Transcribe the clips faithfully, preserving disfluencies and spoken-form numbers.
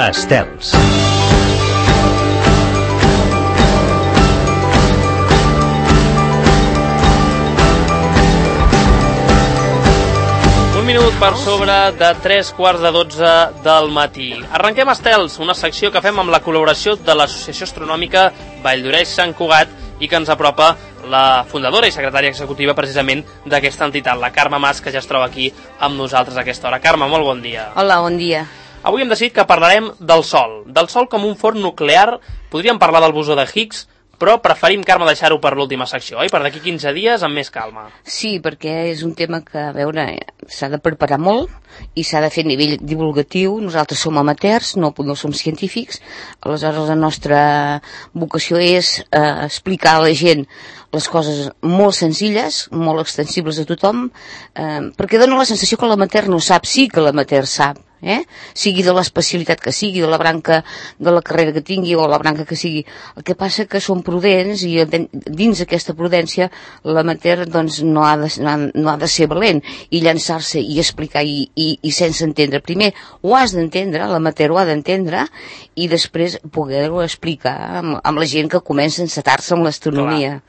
Estels. Un minut per sobre de tres quarts de dotze del matí. Arrenquem Estels, una secció que fem amb la col·laboració de l'Associació Astronòmica Valldoreix-Sant Cugat i que ens apropa la fundadora i secretària executiva precisament d'aquesta entitat, la Carme Mas, que ja es troba aquí amb nosaltres a aquesta hora. Carme, molt bon dia. Hola, bon dia. Avui hem decidit que parlarem del Sol, del Sol com un forn nuclear. Podríem parlar del bosó de Higgs, però preferim, Carme, deixar-ho per l'última secció, oi? Per d'aquí quinze dies, amb més calma. Sí, perquè és un tema que, a veure, s'ha de preparar molt i s'ha de fer a nivell divulgatiu. Nosaltres som amateurs, no, no som científics, aleshores la nostra vocació és eh, explicar a la gent les coses molt senzilles, molt extensibles a tothom, eh, perquè dona la sensació que l'amateur no sap, sí que l'amateur sap, eh? Sigui de l'especialitat que sigui, de la branca de la carrera que tingui o la branca que sigui. El que passa que som prudents i dins aquesta prudència l'amateur doncs, no, ha de, no, ha, no ha de ser valent i llançar-se i explicar i, i, i sense entendre. Primer ho has d'entendre, l'amateur ho ha d'entendre i després poder-ho explicar amb, amb la gent que comença a encetar-se amb l'astronomia.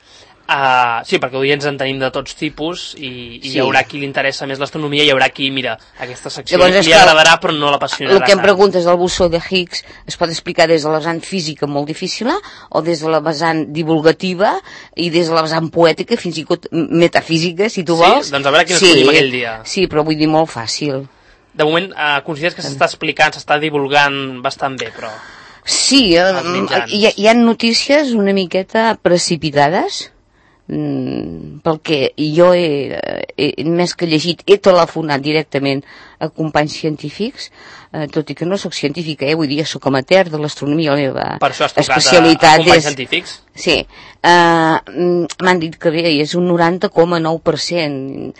Uh, sí, perquè oients en tenim de tots tipus i, i sí. Hi haurà qui li interessa més l'astronomia i hi haurà qui, mira, aquesta secció Llavors, li agradarà però no l'apassionarà. El que em preguntes del bosó de Higgs es pot explicar des de la vessant física molt difícil o des de la vessant divulgativa i des de la vessant poètica fins i tot metafísica, si tu vols. Sí? Doncs a veure quin sí, escollim aquell dia. Sí, però vull dir molt fàcil. De moment, uh, consideres que s'està explicant, s'està divulgant bastant bé, però... Sí, uh, hi, hi ha notícies una miqueta precipitades, Mm, pel que jo he, he, més que llegit, he telefonat directament a companys científics, eh, tot i que no sóc científica, eh, vull dir, soc amateur de l'astronomia, la meva per això has especialitat a, a companys és... científics? Sí, eh, m'han dit que bé, és un noranta coma nou per cent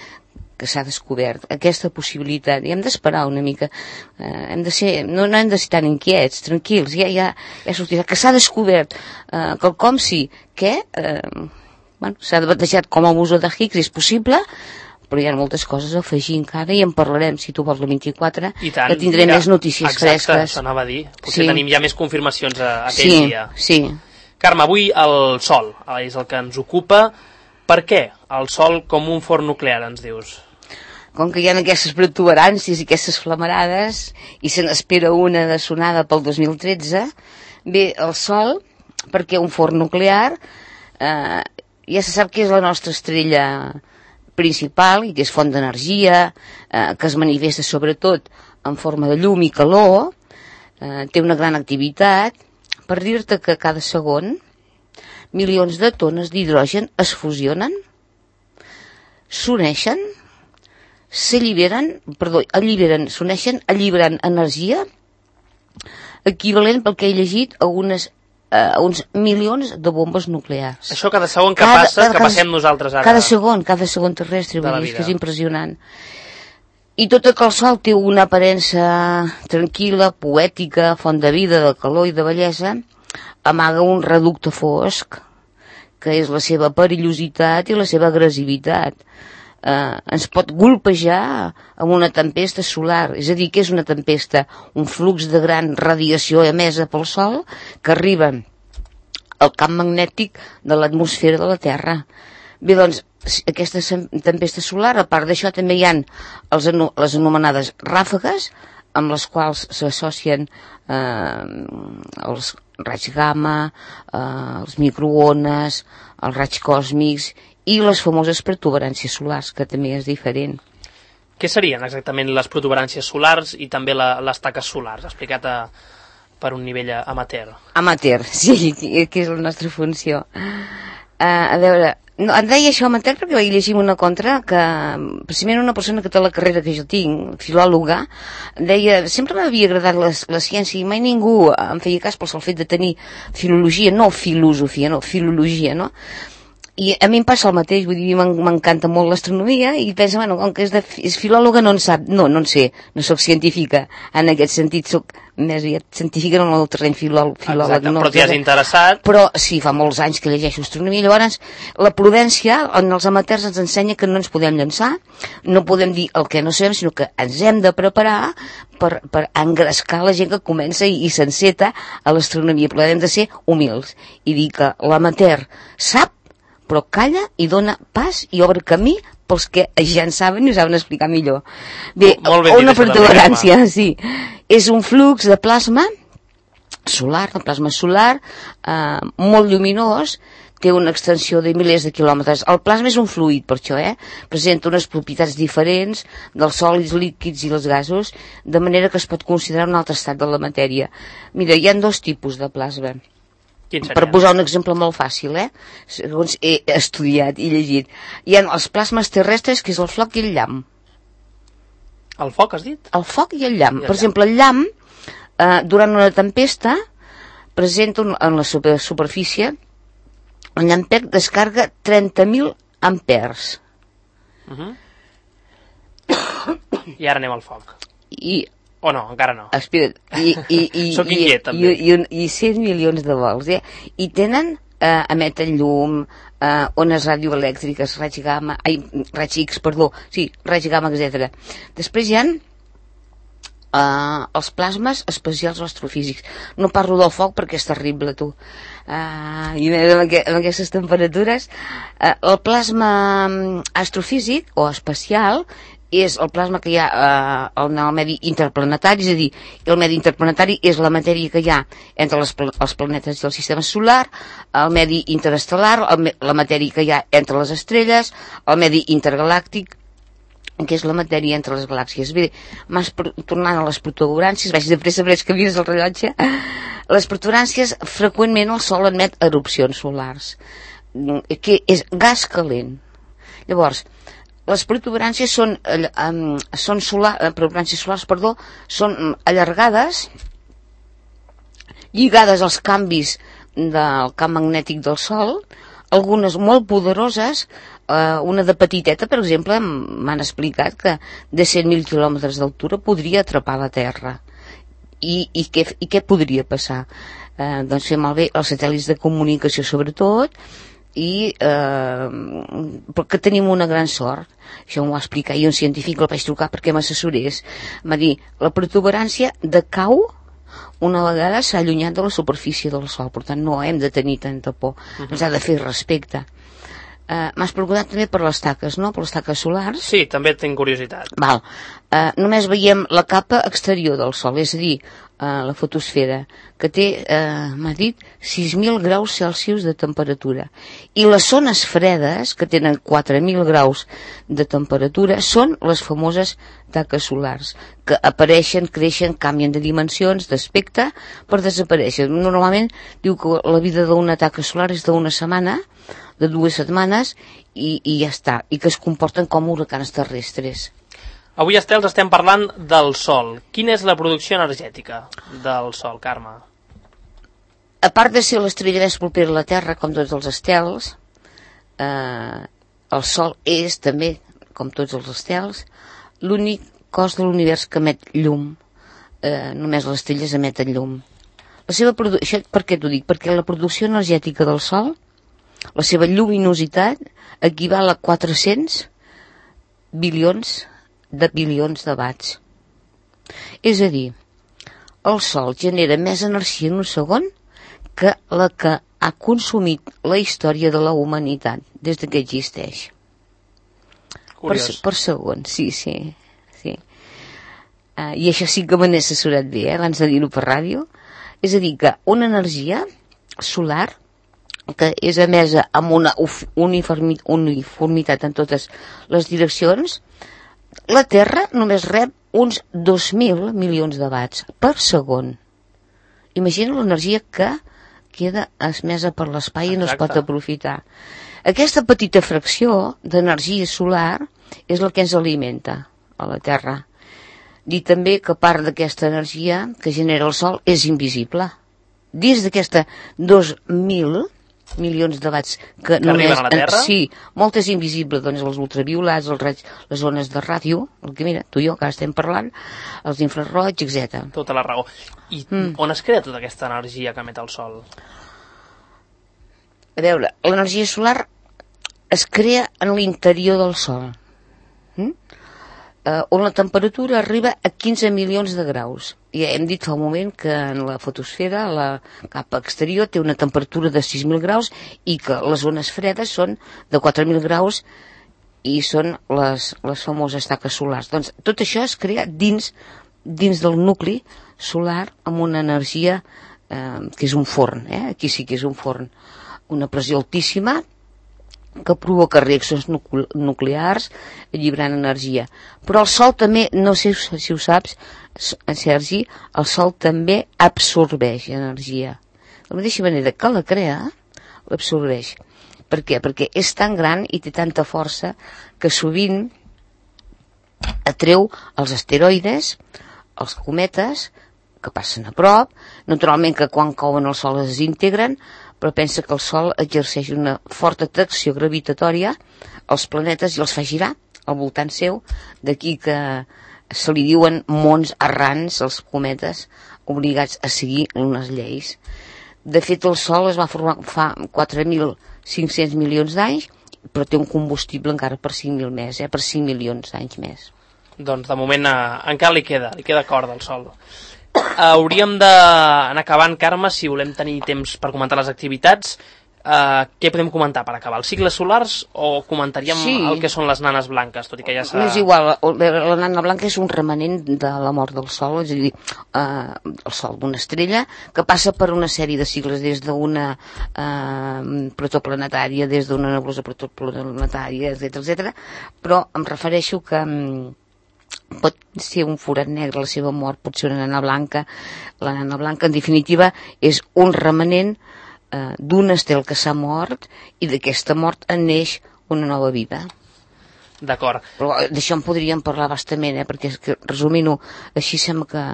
que s'ha descobert aquesta possibilitat i hem d'esperar una mica, eh, hem de ser, no, no hem de ser tan inquiets, tranquils, ja, ja, ja sortirà, que s'ha descobert eh, quelcom sí, que... Eh, Bueno, s'ha batejat com a bosó de Higgs, és possible, però hi ha moltes coses a afegir encara i en parlarem, si tu vols, la vint-i-quatre, I tant, que tindrem mira, més notícies exacte, fresques. Exacte, això anava a dir. Potser sí. Tenim ja més confirmacions a, a aquell sí, dia. Sí, Carme, avui el Sol és el que ens ocupa. Per què el Sol com un forn nuclear, ens dius? Com que hi ha aquestes protuberàncies i aquestes flamarades, i se n'espera una de sonada pel dos mil tretze, bé, el Sol, perquè un forn nuclear... Eh, ja se sap que és la nostra estrella principal i que és font d'energia, eh, que es manifesta sobretot en forma de llum i calor, eh, té una gran activitat. Per dir-te que cada segon milions de tones d'hidrogen es fusionen, s'uneixen, s'alliberen, perdó, alliberen, s'uneixen, alliberant energia equivalent pel que he llegit a unes a uns milions de bombes nuclears. Això cada segon que cada, passa, cada, que passem nosaltres ara. Cada segon, cada segon terrestre, vull dir, que és impressionant. I tot el Sol té una aparença tranquil·la, poètica, font de vida, de calor i de bellesa, amaga un reducte fosc, que és la seva perillositat i la seva agressivitat. Eh, ens pot golpejar amb una tempesta solar, és a dir, que és una tempesta, un flux de gran radiació emesa pel Sol que arriba al camp magnètic de l'atmosfera de la Terra. Bé, doncs, aquesta tempesta solar, a part d'això, també hi ha els, les anomenades ràfegues, amb les quals s'associen eh, els raigs gamma, eh, els microones, els raigs còsmics i les famoses protuberàncies solars, que també és diferent. Què serien exactament les protuberàncies solars i també la, les taques solars, explicat a, per un nivell amateur? Amateur, sí, que és la nostra funció. Uh, a veure, no, em deia això amateur perquè vaig llegir una contra que, precisament una persona que té la carrera que jo tinc, filòloga, deia, sempre m'havia agradat la, la ciència i mai ningú em feia cas pel sol fet de tenir filologia, no filosofia, no, filologia, no? I a mi em passa el mateix, vull dir, m'encanta molt l'astronomia i penso, bueno, com que és, de, és filòloga no en sap, no, no en sé, no sóc científica, en aquest sentit sóc més aviat científica en el terreny filòleg. Exacte, no, però t'hi has interessat. Però sí, fa molts anys que llegeixo astronomia, llavors la prudència en els amateurs ens ensenya que no ens podem llançar, no podem dir el que no sabem, sinó que ens hem de preparar per, per engrescar la gent que comença i, i s'enceta a l'astronomia, però hem de ser humils i dir que l'amateur sap, però calla i dona pas i obre camí pels que ja en saben i ho saben explicar millor. Bé, una protuberància, sí. És un flux de plasma solar, de plasma solar, eh, molt lluminós, té una extensió de milers de quilòmetres. El plasma és un fluid, per això, eh? Presenta unes propietats diferents dels sòlids, líquids i els gasos, de manera que es pot considerar un altre estat de la matèria. Mira, hi ha dos tipus de plasma. Per posar un exemple molt fàcil, eh? Segons he estudiat i llegit. Hi ha els plasmes terrestres, que és el foc i el llamp. El foc, has dit? El foc i el llamp. I el per llamp. exemple, el llamp, eh, durant una tempesta, presenta un, en la super, superfície, el llampec descarga trenta mil ampers. Uh-huh. I ara anem al foc. I... O no, encara no. Espera't, i, i, i, Soc inquiet, i, també. I, i, i cent milions de volts, eh? I tenen, eh, emeten llum, eh, ones radioelèctriques, raig gamma, ai, raig X, perdó, sí, raig gamma, etcètera. Després hi ha eh, els plasmes especials astrofísics. No parlo del foc perquè és terrible, tu. Uh, i amb, aqu amb aquestes temperatures, uh, el plasma astrofísic o especial és el plasma que hi ha eh, en el medi interplanetari, és a dir, el medi interplanetari és la matèria que hi ha entre les, els planetes i el sistema solar, el medi interestel·lar, el, la matèria que hi ha entre les estrelles, el medi intergalàctic, que és la matèria entre les galàxies. Bé, mas, tornant a les protuberàncies, vaig de pressa, veig que mires el rellotge, les protuberàncies, freqüentment el Sol emet erupcions solars, que és gas calent. Llavors, les protuberàncies són, eh, um, són solar, eh, protuberàncies solars, perdó, són allargades, lligades als canvis del camp magnètic del Sol, algunes molt poderoses, eh, una de petiteta, per exemple, m'han explicat que de cent mil quilòmetres d'altura podria atrapar la Terra. I, i, què, i què podria passar? Eh, doncs fer malbé els satèl·lits de comunicació, sobretot, i eh, perquè tenim una gran sort, això m'ho va explicar, i un científic el vaig trucar perquè m'assessorés, va dir, la protuberància decau una vegada s'ha allunyat de la superfície del Sol, per tant no hem de tenir tanta por, uh-huh. Ens ha de fer respecte. Uh, M'has preguntat també per les taques, no? Per les taques solars? Sí, també tinc curiositat. Val. Uh, només veiem la capa exterior del Sol, és a dir, uh, la fotosfera, que té, uh, m'ha dit, sis mil graus Celsius de temperatura. I les zones fredes, que tenen quatre mil graus de temperatura, són les famoses taques solars, que apareixen, creixen, canvien de dimensions, d'aspecte, per desaparèixer. Normalment diu que la vida d'una taca solar és d'una setmana, de dues setmanes i, i ja està, i que es comporten com huracans terrestres. Avui, Estels, estem parlant del Sol. Quina és la producció energètica del Sol, Carme? A part de ser l'estrella més propera a la Terra, com tots els estels, eh, el Sol és també, com tots els estels, l'únic cos de l'univers que emet llum. Eh, només les estrelles emeten llum. La seva producció, per què t'ho dic? Perquè la producció energètica del Sol, la seva lluminositat, equival a quatre-cents bilions de bilions de watts. És a dir, el Sol genera més energia en un segon que la que ha consumit la història de la humanitat des que existeix. Curiós. Per, per segon, sí, sí. sí. Uh, I això sí que me n'he assessorat bé, eh, abans de dir-ho per ràdio. És a dir, que una energia solar que és emesa amb una uniformitat en totes les direccions, la Terra només rep uns dos mil milions de watts per segon. Imagina l'energia que queda esmesa per l'espai i no es pot aprofitar. Aquesta petita fracció d'energia solar és la que ens alimenta a la Terra. Dir també que part d'aquesta energia que genera el Sol és invisible. Dins d'aquesta dos mil milions de watts que, que només, arriben a la Terra? Sí, moltes invisibles, doncs els ultraviolats, els raigs, les zones de ràdio, el que mira, tu i jo que estem parlant, els infraroigs, etcètera. Tota la raó. I mm. on es crea tota aquesta energia que emet el Sol? A veure, l'energia solar es crea en l'interior del Sol, mm? uh, on la temperatura arriba a quinze milions de graus. Ja hem dit fa un moment que en la fotosfera, la capa exterior, té una temperatura de sis mil graus i que les zones fredes són de quatre mil graus i són les, les famoses taques solars. Doncs tot això es crea dins, dins del nucli solar amb una energia eh, que és un forn, eh? Aquí sí que és un forn, una pressió altíssima que provoca reaccions nuclears lliurant energia. Però el Sol també, no sé si ho saps, Sergi, el Sol també absorbeix energia. De la mateixa manera que la crea, l'absorbeix. Per què? Perquè és tan gran i té tanta força que sovint atreu els asteroides, els cometes, que passen a prop, naturalment que quan cauen el Sol es desintegren, però pensa que el Sol exerceix una forta atracció gravitatòria als planetes i els fa girar al voltant seu, d'aquí que se li diuen mons errants als cometes obligats a seguir unes lleis. De fet, el Sol es va formar fa quatre mil cinc-cents milions d'anys, però té un combustible encara per cinc mil més, eh? per cinc milions d'anys més. Doncs de moment eh, encara li queda, li queda corda al Sol. Hauríem d'anar acabant, Carme, si volem tenir temps per comentar les activitats. Uh, què podem comentar per acabar? Els cicles solars o comentaríem sí. el que són les nanes blanques, tot i que ja s'ha... És igual, la nana blanca és un remanent de la mort del Sol, és a dir, uh, el Sol d'una estrella que passa per una sèrie de cicles, des d'una uh, protoplanetària, des d'una nebulosa protoplanetària, etcètera, etcètera, però em refereixo que um, pot ser un forat negre, la seva mort pot ser una nana blanca. La nana blanca, en definitiva, és un remanent eh, d'un estel que s'ha mort i d'aquesta mort en neix una nova vida. D'acord. Però d'això en podríem parlar bastament, eh, perquè és que, resumint-ho, així sembla que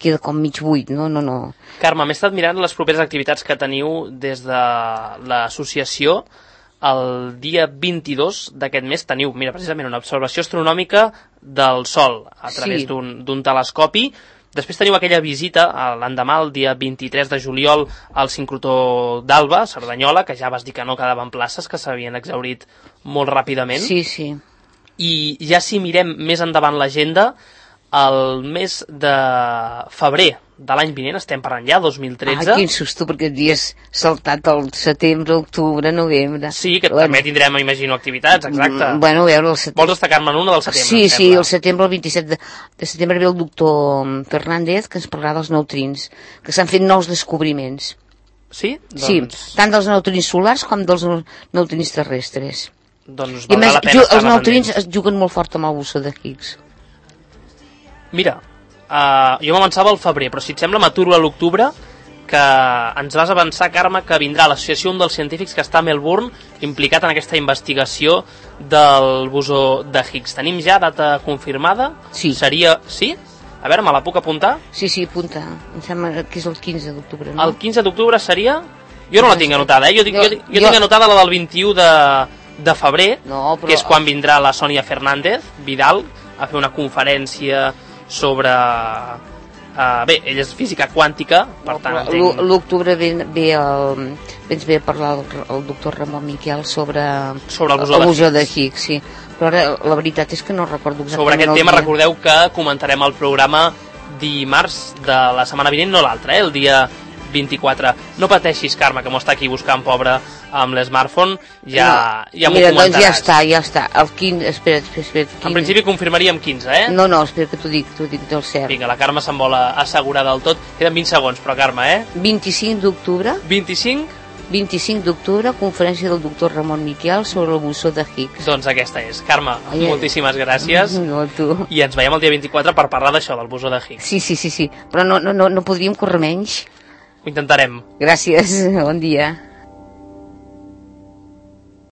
queda com mig buit, no? No, no. Carme, m'he estat mirant les properes activitats que teniu des de l'associació. El dia vint-i-dos d'aquest mes teniu, mira, precisament una observació astronòmica del Sol a través sí. d'un telescopi. Després teniu aquella visita l'endemà, el dia vint-i-tres de juliol, al sincrotró d'Alba, Cerdanyola, que ja vas dir que no quedaven places, que s'havien exhaurit molt ràpidament. Sí, sí. I ja si mirem més endavant l'agenda, el mes de febrer de l'any vinent, estem parlant ja, dos mil tretze. Ah, quin susto, perquè havies saltat el setembre, octubre, novembre. Sí, que bueno. també tindrem, imagino, activitats, exacte. Bueno, a veure, el setembre... Vols destacar-me una del setembre? Sí, sí, el setembre, el vint-i-set de, de setembre ve el doctor Fernández, que ens parlarà dels neutrins, que s'han fet nous descobriments. Sí? Doncs... Sí, tant dels neutrins solars com dels neutrins terrestres. Doncs valdrà la pena. Els neutrins es juguen molt fort amb el bosó de Higgs. Mira, uh, jo m'avançava al febrer, però si et sembla m'aturo a l'octubre, que ens vas avançar, Carme, que vindrà l'associació, un dels científics que està a Melbourne, implicat en aquesta investigació del bosó de Higgs. Tenim ja data confirmada? Sí. Seria... Sí? A veure, me la puc apuntar? Sí, sí, apunta. Em sembla que és el quinze d'octubre, no? El quinze d'octubre seria... Jo no la tinc anotada, eh? Jo, jo, jo, jo tinc anotada la del vint-i-u de, de febrer, no, però... que és quan vindrà la Sònia Fernández Vidal a fer una conferència sobre... Uh, bé, ella és física quàntica, per no, tant... Entenc... L'octubre ve, ve, el, vens ve a parlar el, el doctor Ramon Miquel sobre, sobre el bosó, el bosó de Higgs, sí. Però ara la veritat és que no recordo exactament. Sobre aquest tema dia. Recordeu que comentarem el programa dimarts de la setmana vinent, no l'altre, eh? El dia vint-i-quatre. No pateixis, Carme, que m'ho està aquí buscant, pobre, amb l'smartphone, ja, no, ja m'ho mira, comentaràs. Doncs ja està, ja està. El quinze, espera, espera, espera quinze. En principi confirmaríem quinze, eh? No, no, espera que t'ho dic, t'ho dic del cert. Vinga, la Carme se'n vol assegurar del tot. Queden vint segons, però, Carme, eh? vint-i-cinc d'octubre. vint-i-cinc? vint-i-cinc d'octubre, conferència del doctor Ramon Miquel sobre el bosó de Higgs. Doncs aquesta és. Carme, Ai, moltíssimes gràcies. No, tu. I ens veiem el dia vint-i-quatre per parlar d'això, del bosó de Higgs. Sí, sí, sí, sí. Però no, no, no, no podríem córrer menys. Ho intentarem. Gràcies, bon dia.